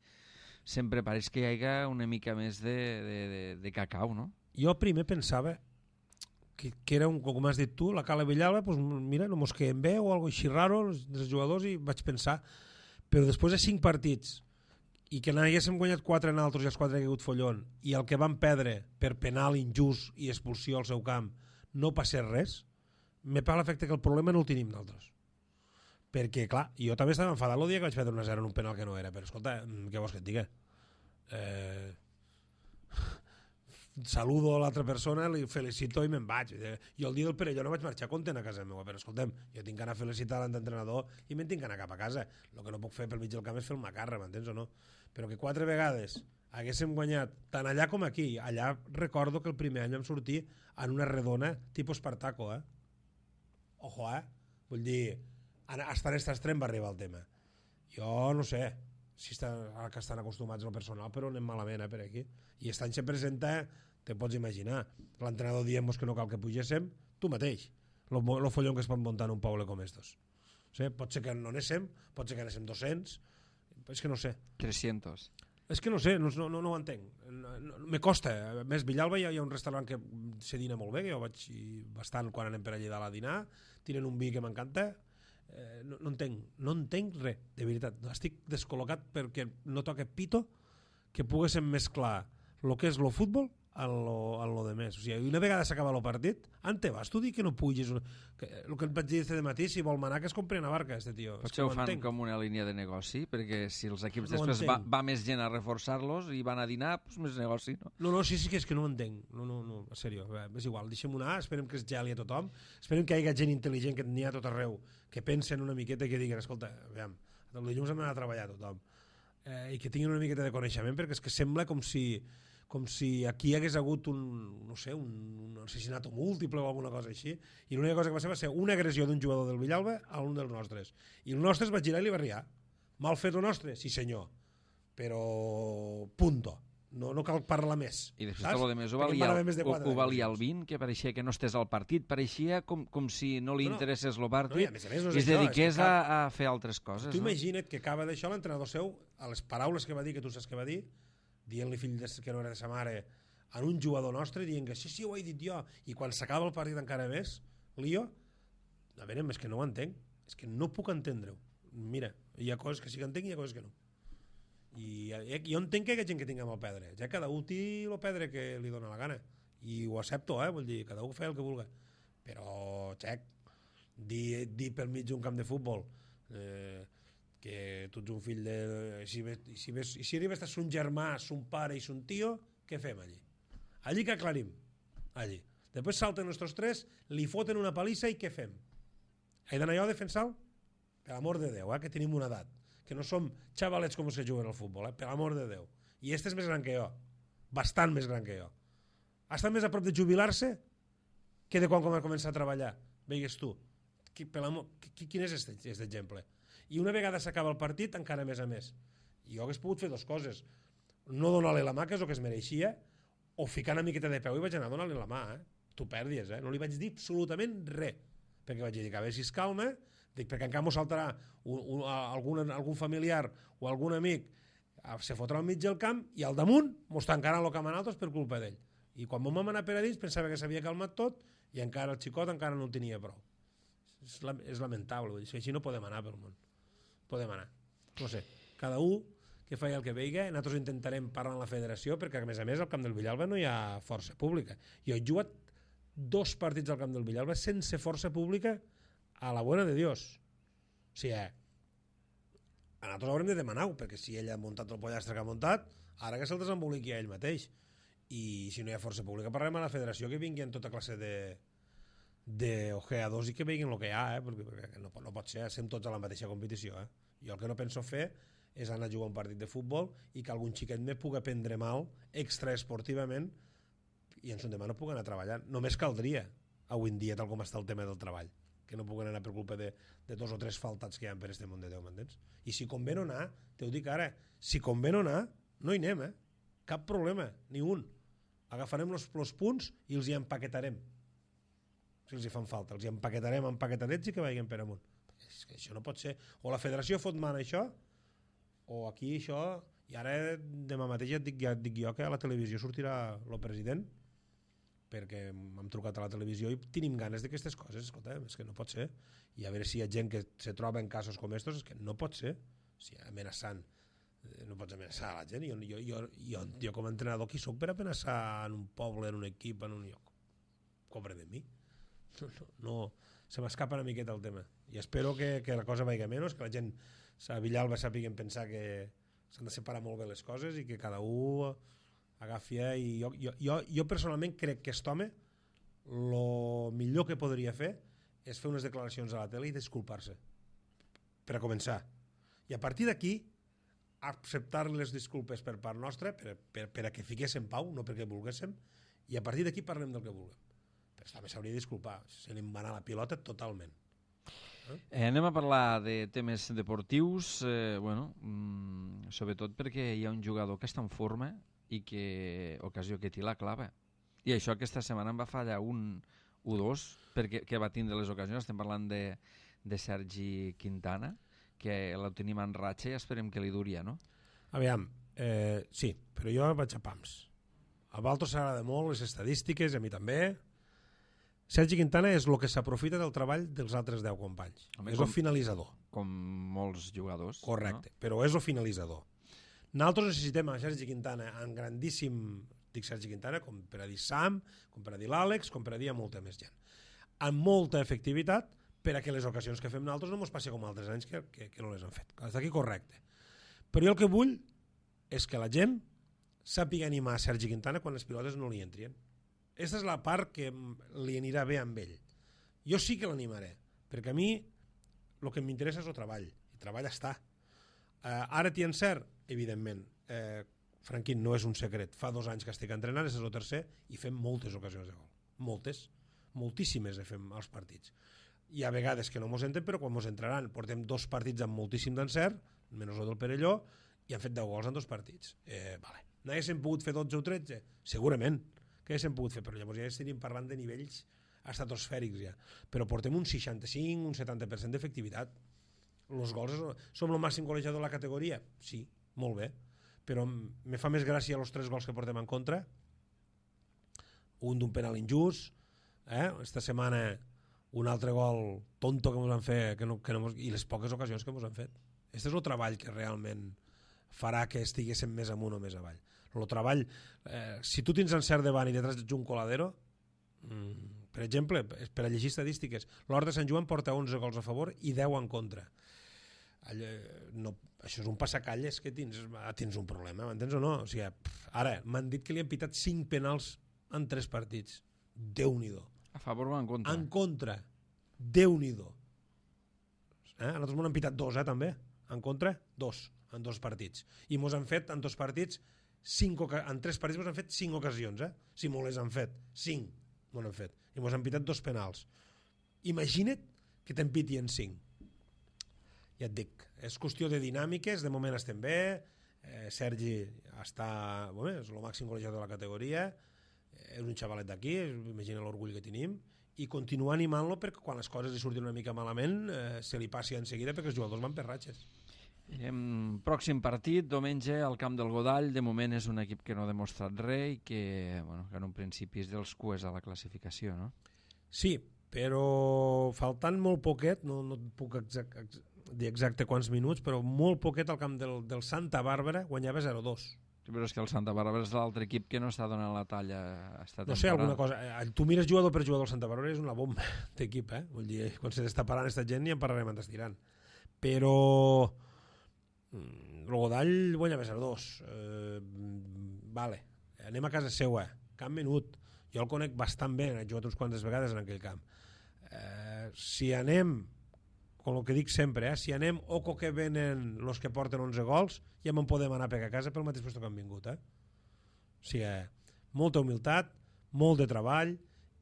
sempre pareix que hi hagi una mica més de, de, de, de cacau, no? Jo primer pensava que, que era, un, com has dit tu, la Cala Villalba, pues, mira, no mos quedem bé o alguna cosa així raro els, els jugadors, i vaig pensar, però després de cinc partits i que n'haguéssim guanyat quatre en altres i els quatre ha caigut follon, i el que van perdre per penal injust i expulsió al seu camp no passés res, me fa l'efecte que el problema no el tenim nosaltres. perquè, clar, jo també estava enfadat el dia que vaig perdre una zero en un penal que no era, però escolta, què vols que et diga? Eh... saludo a l'altra persona, li felicito i me'n vaig. Jo el dia del Perelló no vaig marxar content a casa meva, però escolta'm, jo tinc que anar a felicitar l'entrenador i me'n tinc que anar cap a casa. El que no puc fer pel mig del camp és fer el macarra, m'entens o no? Però que quatre vegades haguéssim guanyat tant allà com aquí. Allà recordo que el primer any vam sortir en una redona tipus Espartaco, eh? Ojo, eh? Vull dir, hasta en este extrem va arribar el tema. Jo no sé si està, que estan acostumats al personal, però anem malament, eh, per aquí. I aquest any se presenta, te pots imaginar, l'entrenador dient que no cal que pugéssim, tu mateix, el follon que es pot muntar en un poble com estos. O sigui, pot ser que no anéssim, pot ser que anéssim dos-cents, és que no sé. tres-cents. És que no sé, no, no, no ho entenc. No, no, me costa. A més, Villalba hi ha, hi ha un restaurant que se dina molt bé, que jo vaig bastant quan anem per allà dalt a dinar, tenen un vi que m'encanta. Eh, no, no entenc, no entenc res, de veritat. Estic descol·locat perquè no toca pito que poguéssim mesclar el que és el futbol a lo, a lo de més. O sigui, una vegada s'acaba el partit, ante vas, tu dir que no puges. Que, el que et vaig dir de matí, si vol manar que es compri una barca, este tio. Potser ho fan entenc. Com una línia de negoci, perquè si els equips no després va, va més gent a reforçar-los i van a dinar, doncs més negoci, no? No, no, sí, sí que és que no ho entenc. No, no, no, en sèrio, és igual, deixem-ho anar, esperem que es geli a tothom, esperem que hi hagi gent intel·ligent que n'hi ha a tot arreu, que pensen una miqueta i que diguin, escolta, aviam, el dilluns hem d'anar a treballar a tothom, eh, i que tinguin una miqueta de coneixement, perquè és que sembla com si com si aquí hi hagués hagut un, no sé, un, un assassinat múltiple o alguna cosa així, i l'única cosa que va ser va ser una agressió d'un jugador del Villalba a un dels nostres. I el nostre es va girar i li va riar. Mal fet el nostre? Sí senyor. Però punto. No, no cal parlar més. I després tot el demés ho valia, de ho, ho valia el vint, que pareixia que no estés al partit, pareixia com, com si no li no, interessés el partit no, i, a més, no i es això, dediqués és cap... a, a fer altres coses. Tu no? Imagina't que acaba d'això l'entrenador seu, a les paraules que va dir, que tu saps que va dir, dient-li fill de, que no era de sa mare en un jugador nostre, dient que sí, sí, ho he dit jo, i quan s'acaba el partit encara més, lío, a veure, és que no ho entenc, és que no puc entendre-ho. Mira, hi ha coses que sí que entenc i hi ha coses que no. I jo entenc que hi ha gent que tingui amb el pedre, ja cada un té el pedre que li dona la gana, i ho accepto, eh, vull dir, cada un fa el que vulgui, però, xec, dir, dir pel mig d'un camp de futbol, eh, que tu ets un fill de... I si, si, si, si arribes a ser un germà, son pare i son tio, què fem allí? Allí que aclarim. Allí. Després salten nostres tres, li foten una palissa i què fem? He d'anar jo a defensar-lo? Per amor de Déu, eh, que tenim una edat. Que no som xavalets com se juguen al futbol, eh, per amor de Déu. I este és més gran que jo. Bastant més gran que jo. Ha estat més a prop de jubilar-se que de quan va començar a treballar. Veigues tu. Qui, per amor, qui, quin és aquest exemple? I una vegada s'acaba el partit, encara més a més. I jo hagués pogut fer dues coses. No donar-li la mà, que és el que es mereixia, o ficar una miqueta de peu i vaig anar a donar-li la mà. Eh? Tu pèrdies, eh? No li vaig dir absolutament res. Perquè vaig dir que a veure si es calma, dic, perquè encara m'ho saltarà un, un, algun, algun familiar o algun amic, se fotrà al mig del camp i al damunt m'ho tancaran el camp en altres per culpa d'ell. I quan m'ho vam anar per a dins pensava que s'havia calmat tot i encara el xicot encara no en tenia prou. És, la, és lamentable, vull dir, així no podem anar pel món. Podem anar. No sé, cada un que faci el que veiga, nosaltres intentarem parlar amb la federació perquè a més a més al camp del Villalba no hi ha força pública. Jo he jugat dos partits al camp del Villalba sense força pública a la buena de Dios. O sigui, eh, a nosaltres haurem de demanar-ho, perquè si ell ha muntat el pollastre que ha muntat, ara que se'l desemboliqui a ell mateix. I si no hi ha força pública, parlem a la federació que vinguin tota classe de d'ojeadors i que veguin el que hi ha, eh? perquè, perquè no, no pot ser, estem tots a la mateixa competició. Eh? Jo el que no penso fer és anar a jugar un partit de futbol i que algun xiquet me pugui prendre mal extraesportivament i en son demà no pugui anar a treballar. Només caldria, avui en dia, tal com està el tema del treball, que no puguen anar per culpa de, de dos o tres faltats que hi ha per este món de Déu, m'entens? I si convé no anar, te ho dic ara, si convé no anar, no hi anem, eh? Cap problema, ni un. Agafarem els punts i els hi empaquetarem. Si els hi fan falta, els hi empaquetarem empaquetadets i que vagin per amunt. És que això no pot ser. O la federació fot mà en això, o aquí això... I ara demà mateix ja et dic, ja et dic jo que a la televisió sortirà el president, perquè m'hem trucat a la televisió i tenim ganes d'aquestes coses. Escolta, és que no pot ser. I a veure si hi ha gent que se troba en casos com estos, és que no pot ser. O sigui, amenaçant. No pots amenaçar a la gent. Jo, jo, jo, jo, jo com a entrenador, qui soc per amenaçar en un poble, en un equip, en un lloc? Cobre de mi. No, no, no. se m'escapa una miqueta el tema. I espero que, que la cosa vagi menys, que la gent a Villalba sàpiguen pensar que s'han de separar molt bé les coses i que cada un agafi... I jo, jo, jo, jo personalment crec que aquest home el millor que podria fer és fer unes declaracions a la tele i disculpar-se, per a començar. I a partir d'aquí acceptar les disculpes per part nostra per, per, per a que fiquéssim pau, no perquè volguéssim, i a partir d'aquí parlem del que vulguem. Però també s'hauria de disculpar, se li va anar la pilota totalment. Eh, anem a parlar de temes deportius, eh, bueno, mm, sobretot perquè hi ha un jugador que està en forma i que ocasió que t'hi la clava. I això aquesta setmana em va fallar un u dos perquè que va tindre les ocasions. Estem parlant de, de Sergi Quintana, que la tenim en ratxa i esperem que li duria, no? Aviam, eh, sí, però jo vaig a pams. A Valtos s'agrada molt les estadístiques, a mi també. Sergi Quintana és el que s'aprofita del treball dels altres deu companys. Home, és com, el finalitzador. Com molts jugadors. Correcte, no? Però és el finalitzador. Nosaltres necessitem a Sergi Quintana en grandíssim... Dic Sergi Quintana com per a dir Sam, com per a dir l'Àlex, com per a dir a molta més gent. Amb molta efectivitat per a que les ocasions que fem nosaltres no ens passi com altres anys que, que, que no les han fet. Està aquí correcte. Però jo el que vull és que la gent sàpiga animar a Sergi Quintana quan les pilotes no li entrien. Aquesta és la part que li anirà bé amb ell. Jo sí que l'animaré, perquè a mi el que m'interessa és el treball, i treball està. Uh, ara t'hi encert? Evidentment. Uh, Franquín, no és un secret. Fa dos anys que estic entrenant, és el tercer, i fem moltes ocasions de gol. Moltes. Moltíssimes de fem als partits. Hi ha vegades que no mos entren, però quan mos entraran portem dos partits amb moltíssim d'encert, menys el del Perelló, i han fet deu gols en dos partits. Eh, vale. N'haguéssim pogut fer dotze o tretze? Segurament que haguéssim pogut fer, però llavors ja estaríem parlant de nivells estratosfèrics ja. Però portem un seixanta-cinc, un setanta per cent d'efectivitat. Els gols, som el màxim golejador de la categoria? Sí, molt bé. Però me fa més gràcia els tres gols que portem en contra, un d'un penal injust, eh? Esta setmana un altre gol tonto que ens han fet que no, que no mos, i les poques ocasions que ens han fet. Aquest és el treball que realment farà que estiguéssim més amunt o més avall. El treball, eh, si tu tens encert davant i detrás ets un coladero, mm, per exemple, per a llegir estadístiques, l'Hort de Sant Joan porta onze gols a favor i deu en contra. Allò, no, això és un passacalles que tens, tens un problema, m'entens o no? O sigui, pff, ara, m'han dit que li han pitat cinc penals en tres partits. Déu-n'hi-do. A favor o en contra? En contra. Déu-n'hi-do. Eh? A nosaltres m'han pitat dos, eh, també. En contra, dos, en dos partits. I mos han fet, en dos partits, cinc, en tres partits mos han fet cinc ocasions, eh? Si mos les han fet, cinc mos han fet. I mos han pitat dos penals. Imagina't que te'n pitien cinc. Ja et dic, és qüestió de dinàmiques, de moment estem bé, eh, Sergi està, bueno, és el màxim golejador de la categoria, és un xavalet d'aquí, imagina l'orgull que tenim, i continuar animant-lo perquè quan les coses li surtin una mica malament eh, se li passi en seguida perquè els jugadors van per ratxes. Em, pròxim partit, diumenge, al camp del Godall. De moment és un equip que no ha demostrat res i que, bueno, que en un principi és dels cues a la classificació, no? Sí, però faltant molt poquet, no, no et puc exact, exact, dir exacte quants minuts, però molt poquet al camp del, del Santa Bàrbara guanyava zero dos. Però és que el Santa Bàrbara és l'altre equip que no està donant la talla esta temporada. No sé, alguna cosa. Tu mires jugador per jugador, el Santa Bàrbara és una bomba d'equip, eh? Vull dir, quan se està parant aquesta gent ja en parlarem en estirant. Però el Godall guanyava zero dos. Eh, vale, anem a casa seua, camp menut. Jo el conec bastant bé, he jugat uns quantes vegades en aquell camp. Eh, si anem, com el que dic sempre, eh, si anem oco que venen els que porten onze gols, ja me'n podem anar a pegar a casa pel mateix lloc que han vingut. Eh? O sigui, eh, molta humilitat, molt de treball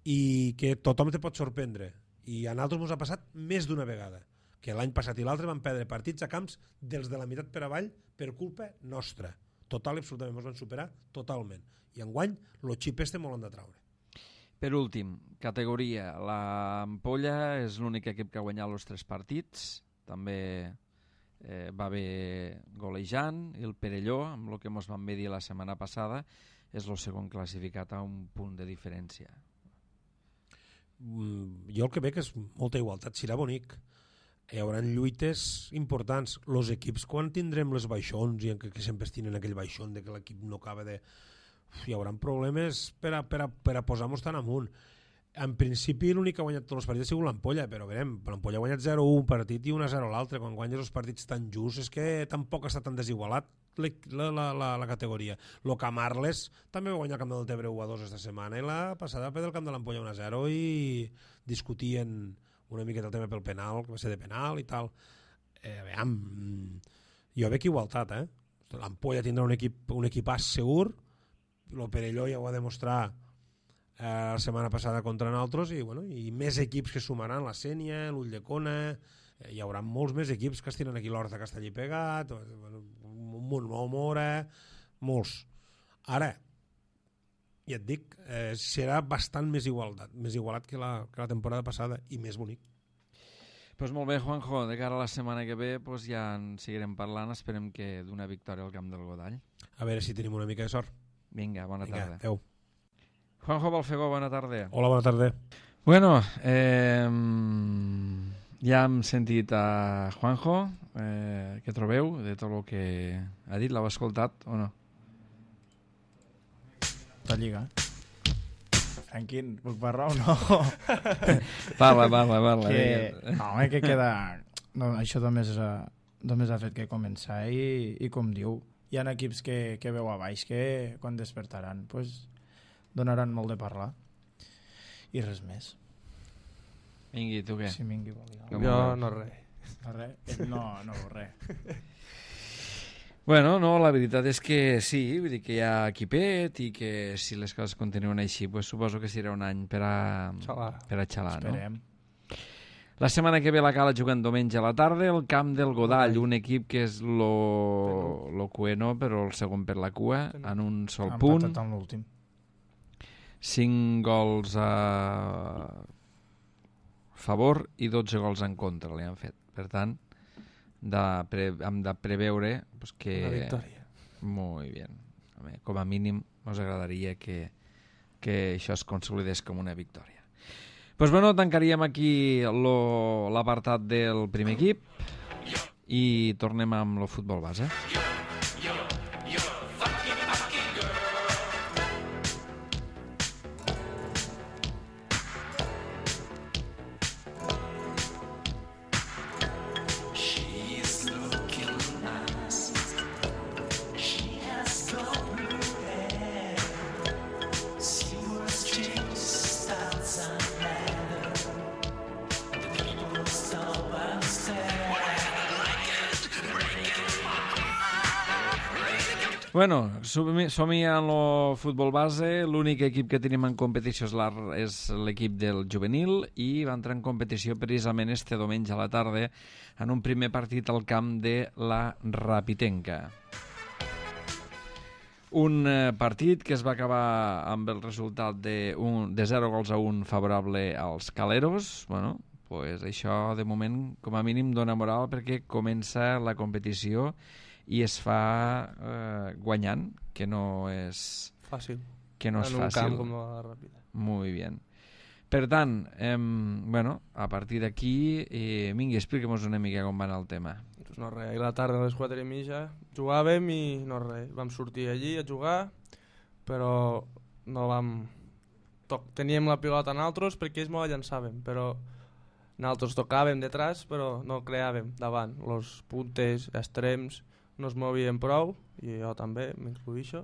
i que tothom te pot sorprendre. I a nosaltres ens ha passat més d'una vegada, que l'any passat i l'altre van perdre partits a camps dels de la meitat per avall per culpa nostra. Total i absolutament, ens van superar totalment. I enguany, el xip este molt han de traure. Per últim, categoria. L'Ampolla és l'únic equip que ha guanyat els tres partits. També eh, va haver golejant. I el Perelló, amb el que ens vam dir la setmana passada, és el segon classificat a un punt de diferència. Mm, jo el que veig és molta igualtat. Serà bonic. Hi haurà lluites importants. Els equips, quan tindrem les baixons i que, que sempre tenen aquell baixón de que l'equip no acaba de... Uf, hi haurà problemes per a, per a, per a posar-nos tan amunt. en principi l'únic que ha guanyat tots els partits ha sigut l'Ampolla, però veurem, l'Ampolla ha guanyat zero a un partit i un a zero l'altre. Quan guanyes els partits tan just és que tampoc està tan desigualat la, la, la, la categoria. Lo Camarles també va guanyar el camp del Tebre u a dos esta setmana i la passada va perdre el camp de l'Ampolla un a zero i discutien una miqueta el tema pel penal, que va ser de penal i tal. Eh, veiem, jo veig igualtat, eh? L'Ampolla tindrà un equip un equipàs segur, el Perelló ja ho va demostrar eh, la setmana passada contra nosaltres i, bueno, i més equips que sumaran, la Sénia, l'Ulldecona, eh, hi haurà molts més equips que estiren aquí l'Horta Castellí pegat, bueno, un munt, Mora, molts. Ara, ja et dic, eh, serà bastant més igualat, més igualat que la, que la temporada passada i més bonic. Pues molt bé, Juanjo, de cara a la setmana que ve pues ja en seguirem parlant, esperem que d'una victòria al camp del Godall. A veure si tenim una mica de sort. Vinga, bona Vinga, tarda. adeu. Juanjo Balfegó, bona tarda. Hola, bona tarda. Bueno, eh, ja hem sentit a Juanjo, eh, què trobeu de tot el que ha dit? L'heu escoltat o no? La Lliga. En quin? Puc parlar o no? Parla, parla, parla. Que, no, home, que queda... No, això només ha, només ha fet que començar i, i com diu, hi ha equips que, que veu a baix que quan despertaran pues, donaran molt de parlar. I res més. Vingui, tu què? Si vingui, vol dir. Jo no res. No, res? No, no, res. Bueno, no, la veritat és que sí, vull dir que hi ha equipet i que si les coses continuen així, pues suposo que serà un any per a xalar, per a xalar, no? Esperem. La setmana que ve la Cala jugant diumenge a la tarda, el camp del Godall, un equip que és lo, lo cueno, però el segon per la cua, en un sol Han punt. empatat en l'últim. cinc gols a favor i dotze gols en contra li han fet. Per tant, de pre, hem de preveure pues, que... Una victòria. Muy bien. Home, com a mínim us agradaria que, que això es consolidés com una victòria. Pues bueno, tancaríem aquí l'apartat del primer equip i tornem amb el futbol base. Bueno, som-hi en el futbol base. L'únic equip que tenim en competició és l'equip del juvenil i va entrar en competició precisament este diumenge a la tarda en un primer partit al camp de la Rapitenca. Un partit que es va acabar amb el resultat de, un, de zero gols a un favorable als Caleros. Bueno, pues això de moment com a mínim dona moral perquè comença la competició i es fa eh, guanyant, que no és fàcil. Que no és en un fàcil. camp com la Ràpida. Muy bien. Per tant, eh, bueno, a partir d'aquí, eh, vingui, expliquem-nos una mica com va anar el tema. Pues no res, ahir la tarda a les quatre i mitja jugàvem i no res, vam sortir allí a jugar, però no vam... Toc... Teníem la pilota nosaltres perquè ells me la llançàvem, però nosaltres tocàvem detrás, però no creàvem davant. Els puntes, extrems, no es movien prou, i jo també m'incluïxo,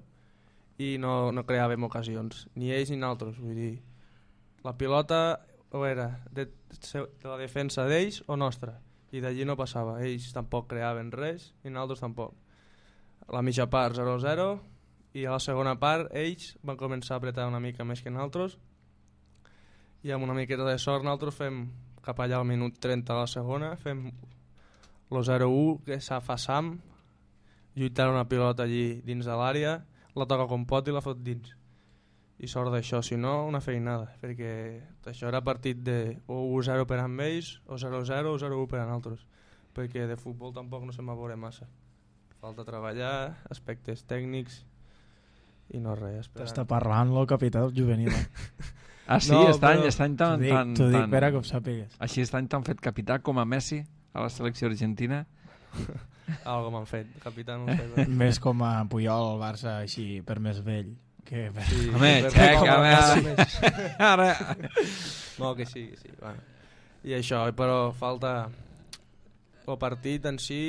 i no, no creàvem ocasions, ni ells ni nosaltres. Vull dir, la pilota o era de, de la defensa d'ells o nostra, i d'allí no passava. Ells tampoc creaven res i nosaltres tampoc. A la mitja part zero a zero i a la segona part ells van començar a apretar una mica més que nosaltres i amb una miqueta de sort nosaltres fem cap allà al minut trenta a la segona, fem el zero a u que s'ha fa Sam, lluitant una pilota allí dins de l'àrea, la toca com pot i la fot dins. I sort d'això, si no, una feinada, perquè això era partit de o u zero per amb ells, o zero a zero o zero a u per a nosaltres, perquè de futbol tampoc no se'n va veure massa. Falta treballar, aspectes tècnics i no res. T'està parlant el capità del juvenil. Eh? Ah, sí? No, Estany, però... estany tan... T'ho dic, tan, t'ho dic tan... per a que ho sàpigues. Així estany tan fet capità com a Messi a la selecció argentina. Algo m'han fet, capità no sé. Més com a Puyol al Barça, així, per més vell. Que... Sí, Home, per- xec, com a home, casa ara. més. Ara... No, que sí, que sí. Bueno. I això, però falta... El partit en si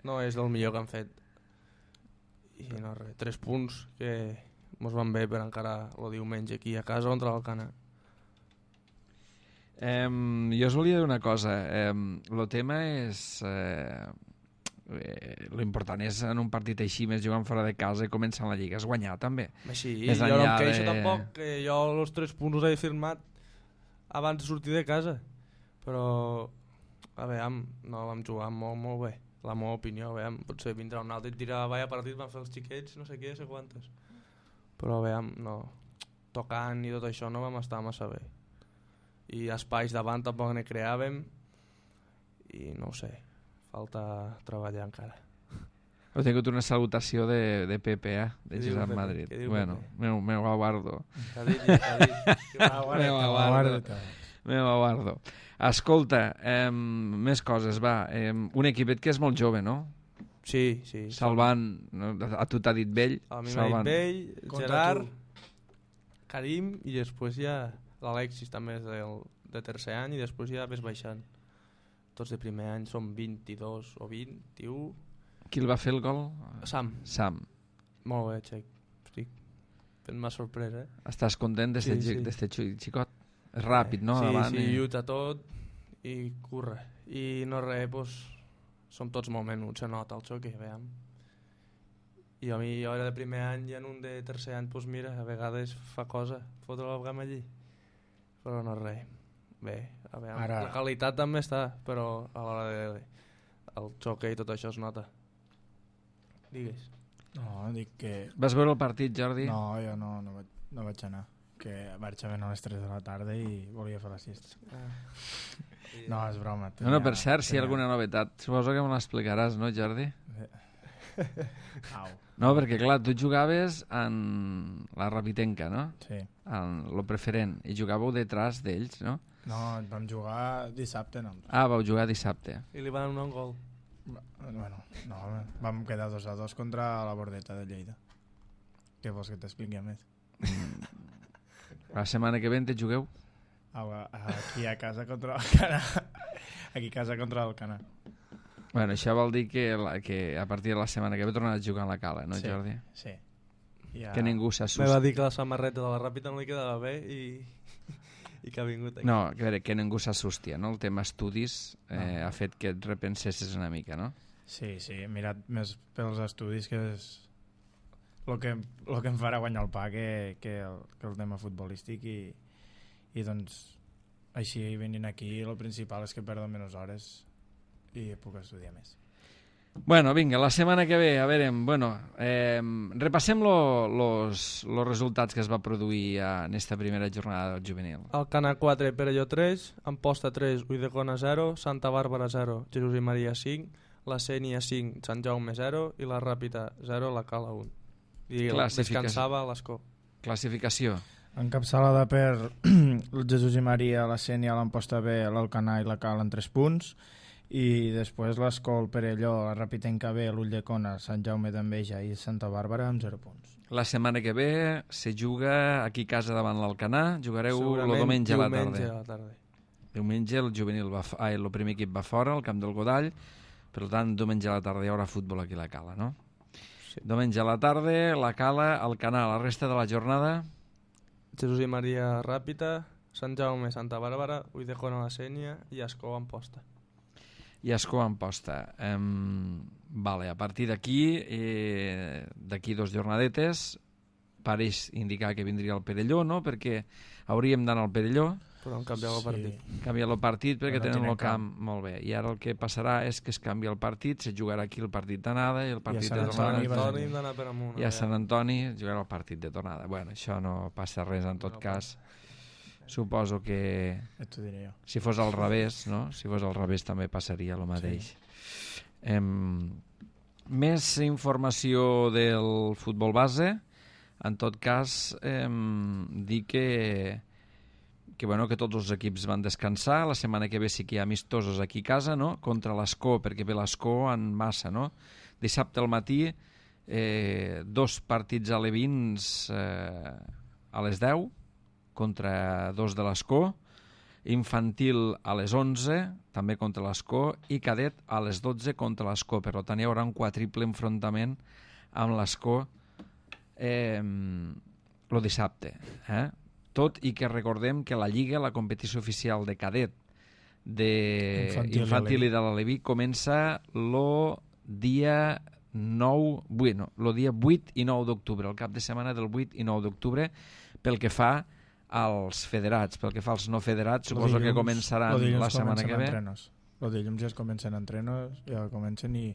no és del millor que han fet. I no res, tres punts que mos van bé per encara el diumenge aquí a casa contra l'Alcanar. Eh, jo us volia dir una cosa. Eh, el tema és... Eh, eh, l'important és en un partit així, més jugant fora de casa i començant la Lliga, és guanyar també. Així, Més jo no enllà em queixo de- tampoc, que jo els tres punts els he firmat abans de sortir de casa. Però, a veure, no vam jugar molt, molt bé. La meva opinió, a veure, potser vindrà un altre i et dirà, vaya partit van fer els xiquets, no sé què, no sé quantes. Però, a veure, no, tocant i tot això no vam estar massa bé. I espais davant tampoc ne creàvem i no ho sé, falta treballar encara. Heu tingut una salutació de, de Pepe, eh? De Què diu Josep Pepe? Madrid. Què diu Bueno, Pepe? meu, meu aguardo. T'ha dit, t'ha dit. Meu aguardo. Meu aguardo. Escolta, eh, més coses, va. Eh, un equipet que és molt jove, no? Sí, sí. Salvant, no? A tu t'ha dit Vell. A mi m'ha dit Bell, Contra Gerard, tu. Karim i després ja l'Alexis també és del, de tercer any i després ja ves baixant. Tots de primer any són vint-i-dos o vint-i-u. Qui el va fer el gol? Sam, Sam. molt bé, Xec. Estic fent-me sorpresa, eh? Estàs content d'este Sí, sí, sí. xicot? És ràpid, no? Sí, Davant, sí, i... lluita tot i curra. I no res, doncs, som tots molt menuts, se nota el xoc, veiem. I a mi, jo era de primer any i en un de tercer any, doncs mira, a vegades fa cosa, fotre el gam allí. Però no res. Bé, a veure, Ara- la qualitat també està, però a l'hora de... el xoc i tot això es nota. Digues. No, dic que... Vas veure el partit, Jordi? No, jo no, no, vaig, no vaig anar. Que marxaven a les tres de la tarda i volia fer la siesta. Ah. No, és broma. No, no, per tenia- cert, si hi ha tenia- alguna novetat, suposo que me l'explicaràs, no, Jordi? Au. No, perquè clar, tu jugaves en la Rapitenca, no? Sí. En lo preferent, i jugàveu detrás d'ells, no? No, vam jugar dissabte, no. Ah, vau jugar dissabte. I li van donar un gol. Bueno, no, vam quedar dos a dos contra la Bordeta de Lleida. Què vols que t'expliqui més? La setmana que ve te jugueu? A- Aquí a casa contra l'Alcanar. Aquí a casa contra l'Alcanar. Bueno, això vol dir que, la, que a partir de la setmana que ve tornaràs a jugar a la Cala, no, Sí. Jordi? Sí. Ja... Que ningú Me va s'assusti. dir que la samarreta de la Ràpita no li quedava bé i, i que ha vingut aquí. No, a veure, que ningú s'assusti, no? El tema estudis eh, No. ha fet que et repensessis una mica, no? Sí, sí, he mirat més pels estudis que és el que, lo que em farà guanyar el pa que, que, el, que el tema futbolístic i, i doncs així venint aquí el principal és que perdo menys hores i puc estudiar més. Bueno, vinga, la setmana que ve, a veure, bueno, eh, repassem lo, los, los resultats que es va produir en esta primera jornada del juvenil. Alcanar quatre, Perelló tres, Amposta tres, Ulldecona zero, Santa Bàrbara zero, Jesús i Maria cinc, la Sénia cinc, Sant Jaume zero i la Ràpita zero, la Cala un. I Classificació. descansava l'Escó. Classificació. Encapçalada per el Jesús i Maria, la Sénia, l'Amposta B, l'Alcanar i la Cal en tres punts i després l'Escol, Perelló, la Rapitenca B, l'Ulldecona, Sant Jaume d'Enveja i Santa Bàrbara amb zero punts. La setmana que ve se juga aquí a casa davant l'Alcanar, jugareu el Segurament diumenge a la diumenge tarda. a la tarda. Diumenge el juvenil va, f- ai, el primer equip va fora, al camp del Godall, per tant, diumenge a la tarda hi haurà futbol aquí a la Cala, no? Sí. Diumenge a la tarda, la Cala, el Canal, la resta de la jornada... Jesús i Maria Ràpita, Sant Jaume, Santa Bàrbara, Ulldecona, la Sénia i Escó, Amposta. i Escó en posta. Um, vale, a partir d'aquí, eh, d'aquí dos jornadetes, pareix indicar que vindria el Perelló, no? Perquè hauríem d'anar al Perelló, Però han canviat el partit. canviar el partit perquè Però no tenen tenen el camp molt bé. I ara el que passarà és que es canvia el partit, se jugarà aquí el partit d'anada i el partit Sant de Sant tornada. Antoni va Antoni hem d'anar per amunt. I a a Sant veure. Antoni jugarà el partit de tornada. Bueno, això no passa res en tot No cas. Suposo que Et ho diré jo. si fos al revés, no? Si fos al revés també passaria el mateix. Sí. Em, més informació del futbol base. En tot cas, em, dir que, que, bueno, que tots els equips van descansar. La setmana que ve sí que hi ha amistosos aquí a casa, no? Contra l'Escó, perquè ve l'Escó en massa, no? Dissabte al matí eh, dos partits alevins eh, a les deu contra dos de l'Escó, infantil a les onze també contra l'Escó i cadet a les dotze contra l'Escó. Per tant, hi haurà un quadriple enfrontament amb l'Escó eh, el dissabte. Eh? Tot i que recordem que la Lliga, la competició oficial de cadet de infantil, infantil i de l'Aleví comença el dia nou, bueno, el dia vuit i nou d'octubre, el cap de setmana del vuit i nou d'octubre, pel que fa als federats. Pel que fa als no federats, suposo dilluns, que començaran la setmana que ve. Entrenos. El dilluns ja es comencen entrenos, ja comencen, i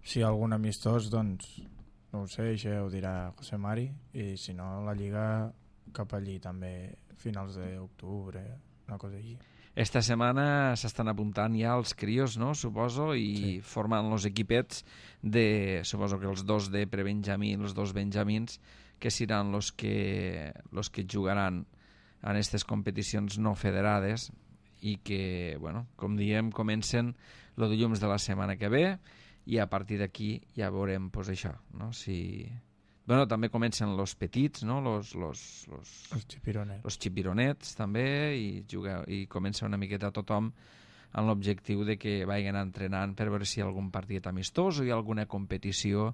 si hi ha algun amistós, doncs no ho sé, això ho dirà José Mari, i si no, la Lliga cap allí també, finals d'octubre, una cosa així. Esta setmana s'estan apuntant ja els crios, no?, suposo, i sí, formant els equipets de, suposo que els dos de prebenjamí, els dos benjamins, que seran els que, los que jugaran en aquestes competicions no federades i que, bueno, com diem, comencen el dilluns de la setmana que ve i a partir d'aquí ja veurem, pues, això, no?, si... Bueno, també comencen los petits, no?, los, los, los, els xipironets. Los xipironets també, i, juga, i comença una miqueta tothom amb l'objectiu de que vagin entrenant per veure si hi ha algun partit amistós o hi ha alguna competició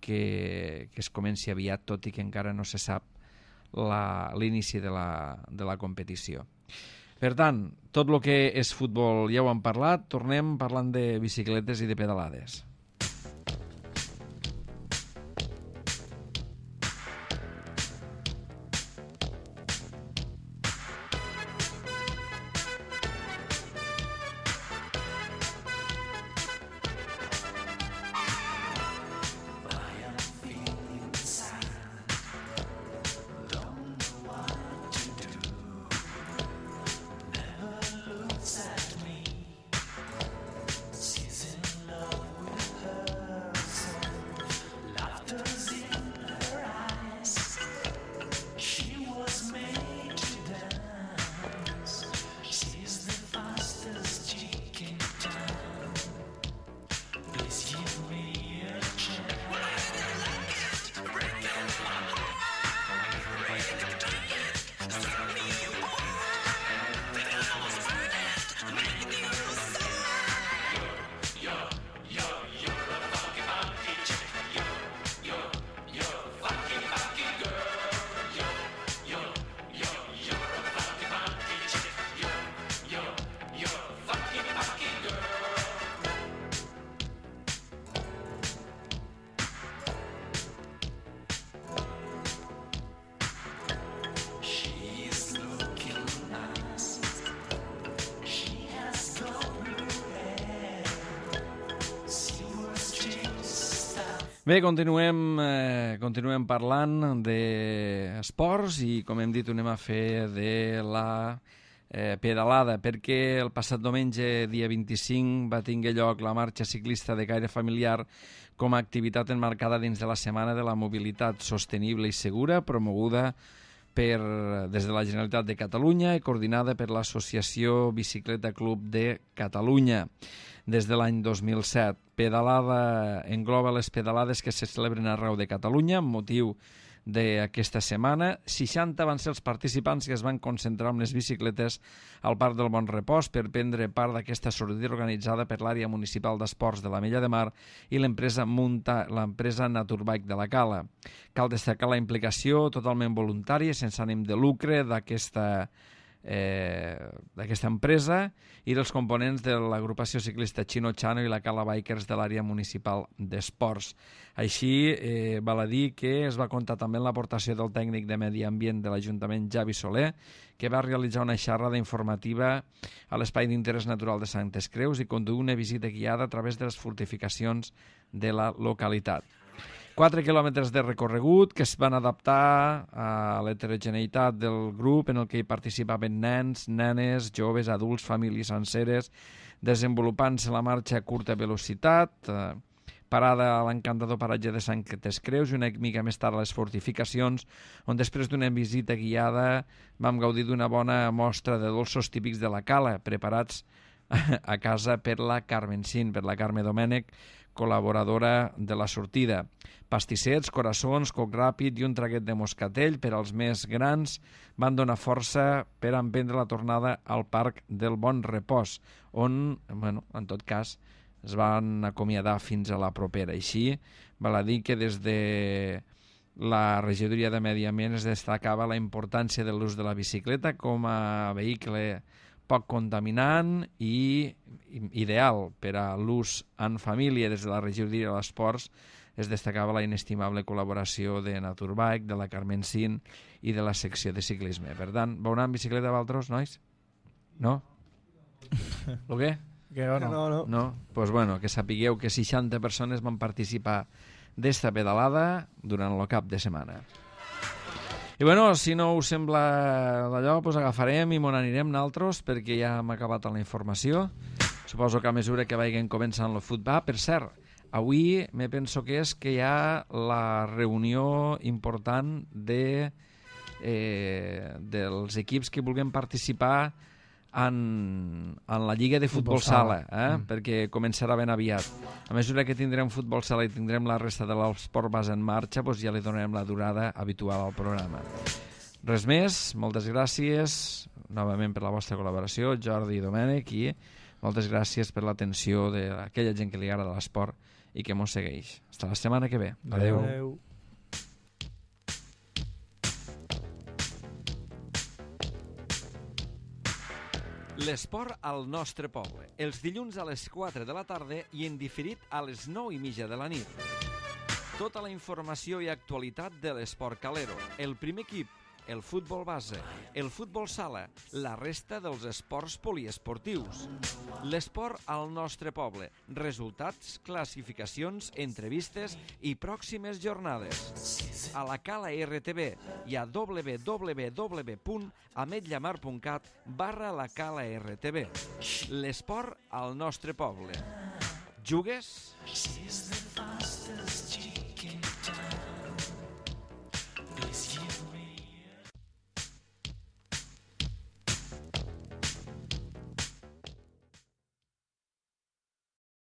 que, que es comenci aviat, tot i que encara no se sap l'inici de, la, de la competició. Per tant, tot el que és futbol ja ho hem parlat, tornem parlant de bicicletes i de pedalades. Bé, continuem, eh, continuem parlant d'esports i, com hem dit, ho anem a fer de la eh, pedalada, perquè el passat diumenge, dia vint-i-cinc, va tingué lloc la marxa ciclista de caire familiar com a activitat enmarcada dins de la Setmana de la Mobilitat Sostenible i Segura, promoguda per, des de la Generalitat de Catalunya i coordinada per l'Associació Bicicleta Club de Catalunya des de l'any dos mil set. Pedalada engloba les pedalades que se celebren arreu de Catalunya amb motiu d'aquesta setmana. seixanta van ser els participants que es van concentrar amb les bicicletes al Parc del Bon Repòs per prendre part d'aquesta sortida organitzada per l'àrea municipal d'esports de l'Ametlla de Mar i l'empresa Munta, l'empresa Naturbike de la Cala. Cal destacar la implicació totalment voluntària, sense ànim de lucre, d'aquesta Eh, d'aquesta empresa i dels components de l'agrupació ciclista Chino Chano i la Cala Bikers de l'àrea municipal d'esports. Així, eh, val a dir que es va comptar també amb l'aportació del tècnic de Medi Ambient de l'Ajuntament, Javi Soler, que va realitzar una xerrada informativa a l'Espai d'Interès Natural de Santes Creus i conduir una visita guiada a través de les fortificacions de la localitat. Quatre quilòmetres de recorregut que es van adaptar a l'heterogeneïtat del grup en el que hi participaven nens, nenes, joves, adults, famílies senceres, desenvolupant-se la marxa a curta velocitat, eh, parada a l'encantador paratge de Santes Creus i una mica més tard a les fortificacions, on després d'una visita guiada vam gaudir d'una bona mostra de dolços típics de la Cala, preparats a casa per la Carmen Cin, per la Carme Domènech, col·laboradora de la sortida. Pastissets, coraçons, coc ràpid i un traguet de moscatell per als més grans van donar força per emprendre la tornada al Parc del Bon Repòs, on, bueno, en tot cas, es van acomiadar fins a la propera. Així, val a dir que des de la regidoria de Medi Ambient es destacava la importància de l'ús de la bicicleta com a vehicle poc contaminant i ideal per a l'ús en família. Des de la regidoria de l'Esports es destacava la inestimable col·laboració de Naturbike, de la Carmen Sin i de la secció de ciclisme. Per tant, vau anar en bicicleta vosaltres, nois? No? El què? Que no, no. No, no. No? Doncs pues bueno, que sapigueu que seixanta persones van participar d'esta pedalada durant el cap de setmana. I bueno, si no us sembla d'allò, pues agafarem i m'on anirem naltros, perquè ja hem acabat la informació. Suposo que a mesura que vagin començant el futbol. Per cert, avui me penso que és que hi ha la reunió important de, eh, dels equips que vulguem participar en, en la Lliga de Futbol, futbol Sala, eh? mm. perquè començarà ben aviat. A mesura que tindrem Futbol Sala i tindrem la resta de l'esport base en marxa, doncs ja li donarem la durada habitual al programa. Res més, moltes gràcies novament per la vostra col·laboració, Jordi i Domènec, i moltes gràcies per l'atenció d'aquella gent que li agrada l'esport i que mos segueix. Fins la setmana que ve. Adéu. Adéu. L'esport al nostre poble. Els dilluns a les quatre de la tarda i en diferit a les nou i mitja de la nit. Tota la informació i actualitat de l'esport calero. El primer equip, el futbol base, el futbol sala, la resta dels esports poliesportius. L'esport al nostre poble. Resultats, classificacions, entrevistes i pròximes jornades. A la Cala R T V i a w w w punt ametllamar punt cat barra la Cala R T V. L'esport al nostre poble. Jugues?